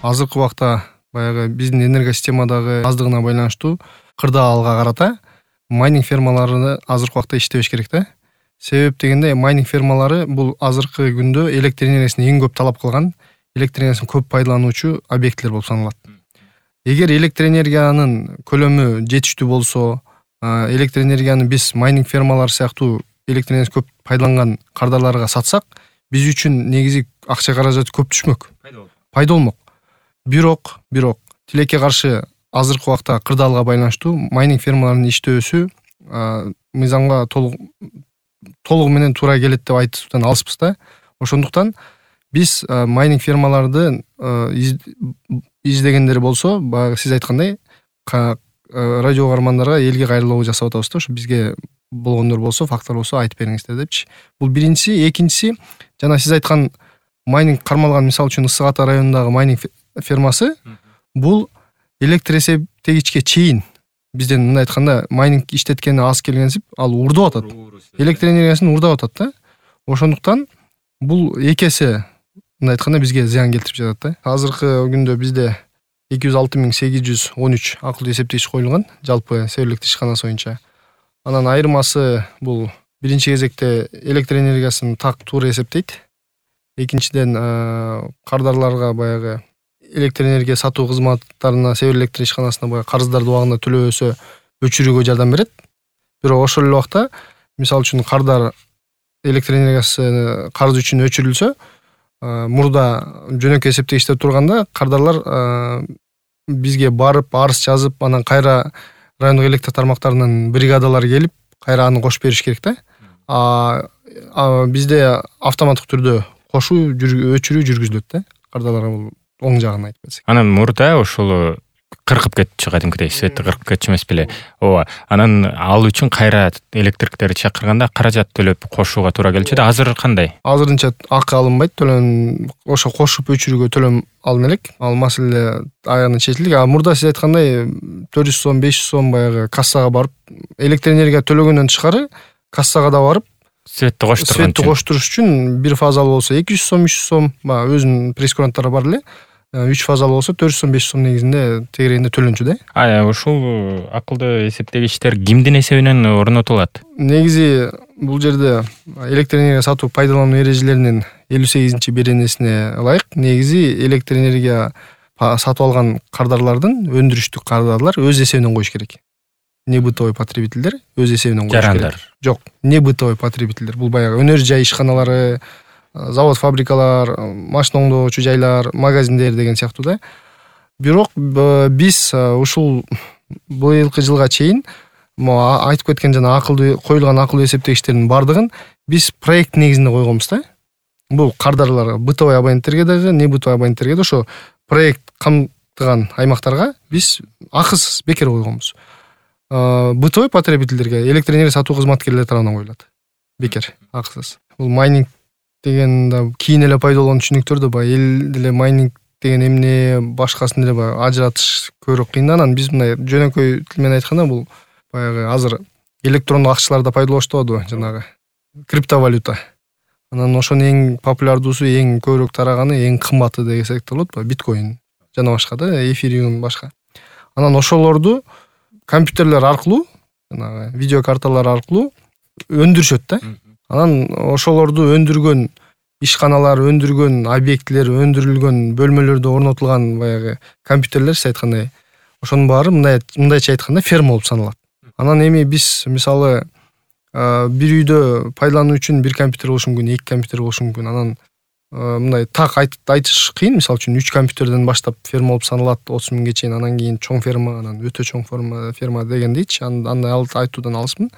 азыркы убакта баягы биздин энергосистемадагы аздыгына байланыштуу кырдаалга карата майнинг фермалары азыркы убакта иштебеш керек да. Себеп дегенде майнинг фермалары бул азыркы күндө электр энергиясын эң көп талап кылган, электр энергиясын көп пайдалануучу объекттер болуп саналат. Эгер электр энергиянын көлөмү жетиштүү болсо, электр энергияны биз майнинг фермалары сыяктуу электр энергиясы көп пайдаланган кардарларга сатсак, биз үчүн негизи акча каражаты көп түшмөк. Пайда болмок. Бирок тилекке каршы азыркы убакта кырдаалга байланыштуу майнинг фермаларынын иштөөсү мыйзамга толугу менен туура келет деп айтуудан алыспыз да. Ошондуктан биз майнинг фермаларды издегендер болсо, баягы сиз айткандай радио угармандарга элге кайрылуу жасап атабыз да. Ошо бизге болгондор болсо, фактор болсо айтып бериңиздер депчи. Бул биринчиси, экинчиси жана сиз айткан майнинг кармалган, мисалы үчүн Ысык Ата районундагы майнинг фермасы бул электр эсептегичке чейин бизден мындай айтканда майнинг иштеткени аз келгенсип ал уурдап атат. Электр энергиясын уурдап атат да. Ошондуктан бул эки эсе мындай айтканда бизге зыян келтирип жатат да. Азыркы күндө бизде 206.813 акылдуу эсептегич коюлган жалпы себерлик ишканасы боюнча. Анан айырмасы бул биринчи кезекте электр энергиясын так туура эсептейт. Экинчиден кардарларга баягы электр энергия сатуу кызматтарына Север электр ишканасына баягы карыздарды убагында төлөбөсө өчүрүүгө жардам берет. Бирок ошол эле убакта мисалы үчүн кардар электр энергиясы карыз үчүн өчүрүлсө, мурда жөнөкөй эсептегичте турганда кардарлар бизге барып арыз жазып, анан кайра райондук электр тармактарынын бригадалары келип, кайра аны кошуп бериш керек да. Бизде автоматтык түрдө кошуу, өчүрүү жүргүзүлөт да. Кардарларга бул оң жагын айтып кетсек. Анан мурда ошол кыркып кетчү, кадимкидей светти кыркып кетчү эмес беле? Ооба. Анан ал үчүн кайра электриктерди чакырганда каражат төлөп кошууга туура келчү да. Азыр кандай? Азырынча акы алынбайт, ошо кошуп өчүрүүгө төлөм алына элек. Ал маселе аягына чечилди. Мурда сиз айткандай 400 сом, 500 сом баягы кассага барып, электр энергия төлөгөндөн тышкары кассага да барып светти коштуруш үчүн бир фазалуу болсо 200 сом, 300 сом, өзүнүн прейскуранттары бар эле. 3 фазалуу болсо 400 сом, 500 сом негизинде тегерегинде төлөнчү да. Ушул акылдуу эсептегичтер кимдин эсебинен орнотулат? Негизи бул жерде электр энергия сатуу пайдалануу эрежелеринин 58-беренесине ылайык негизи электр энергия сатып алган кардарлардын, өндүрүштүк кардарлар өз эсебинен коюш керек. Не бытовой потребительдер өз эсебинен коюш керек. Жок, не бытовой потребительдер. Бул баягы өнөр жай ишканалары, завод, фабрикалар, машина оңдоочу жайлар, магазиндер деген сыяктуу да. Бирок биз ушул быйылкы жылга чейин айтып кеткен жана коюлган акылдуу эсептегичтердин бардыгын биз проект негизинде койгонбуз да. Бул кардарлар бытовой абоненттерге дагы, не бытовой абоненттерге да ошо проект камтыган аймактарга биз акысыз бекер койгонбуз. Бытовой потребительдерге электр энергия сатуу кызматкерлери тарабынан коюлат. Бекер, акысыз. Бул майнинг деген да кийин эле пайда болгон түшүнүктөр да баягы эл деле майнинг деген эмне, башкасын деле баягы ажыратыш көбүрөөк кыйынданан биз мындай жөнөкөй тил менен айтканда бул баягы азыр электрондук акчаларда пайдаланышты болду, жанагы криптовалюта. Анан ошонун эң популярдуусу, эң көбүрөөк тараганы, эң кымбаты десек болот, биткоин жана башка да, эфириум башка. Анан ошолорду компьютерлер аркылуу, жанагы видеокарталар аркылуу өндүрүшөт да. Анан ошолорду өндүргөн ишканалар, өндүргөн объектилер, өндүрүлгөн бөлмөлөрдө орнотулган баягы компьютерлер, сиз айткандай, ошонун баары мындайча айтканда ферма болуп саналат. Анан эми биз мисалы бир үйдө пайдалануу үчүн бир компьютер болушу мүмкүн, 2 компьютер болушу мүмкүн. Анан мындай так айтыш кыйын. Мисалы үчүн 3 компьютерден баштап ферма болуп саналат 30 миңге чейин, анан кийин чоң ферма, анан өтө чоң ферма дегендейчи. Андай айтуудан алыспын.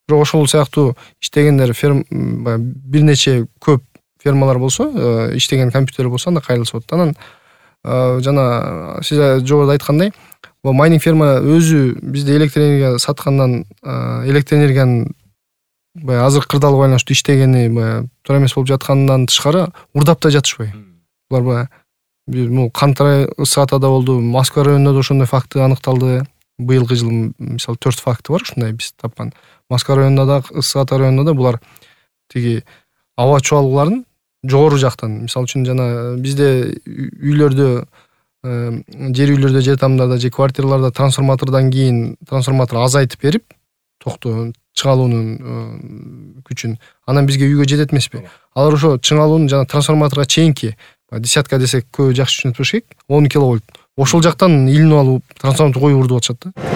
Бирок ошол сыяктуу иштегендер бир нече көп фермалар болсо, иштеген компьютер болсо анда кайрылса болот. Анан жана сиз жогоруда айткандай, бул майнинг ферма өзү бизде электр энергия саткандан, электр энергиянын баягы азыр кырдаалга байланыштуу иштегени баягы туура эмес болуп жаткандан тышкары урдап да жатышпайбы. Булар баягы бул Кантара, Ысык Атада болду, Москва районунда да ошондой факты аныкталды. Быйылкы жылы мисалы 4 факты бар ушундай биз тапкан. Москва районунда да, Ысык Ата районунда да булар тиги аба чуалууларын жогору жактан, мисалы үчүн жана бизде үйлөрдө жер үйлөрдө же тамдарда же квартираларда трансформатордон кийин трансформатор азайтып берип токтоо чыңалуунун күчүн анан бизге үйгө жетет эмеспи. Алар ошо чыңалуунун жана трансформаторго чейинки десятка десек көбү жакшы түшүнүп болуш керек 10 киловольт ошол жактан илинип алып трансформатор коюп урдуп атышат да.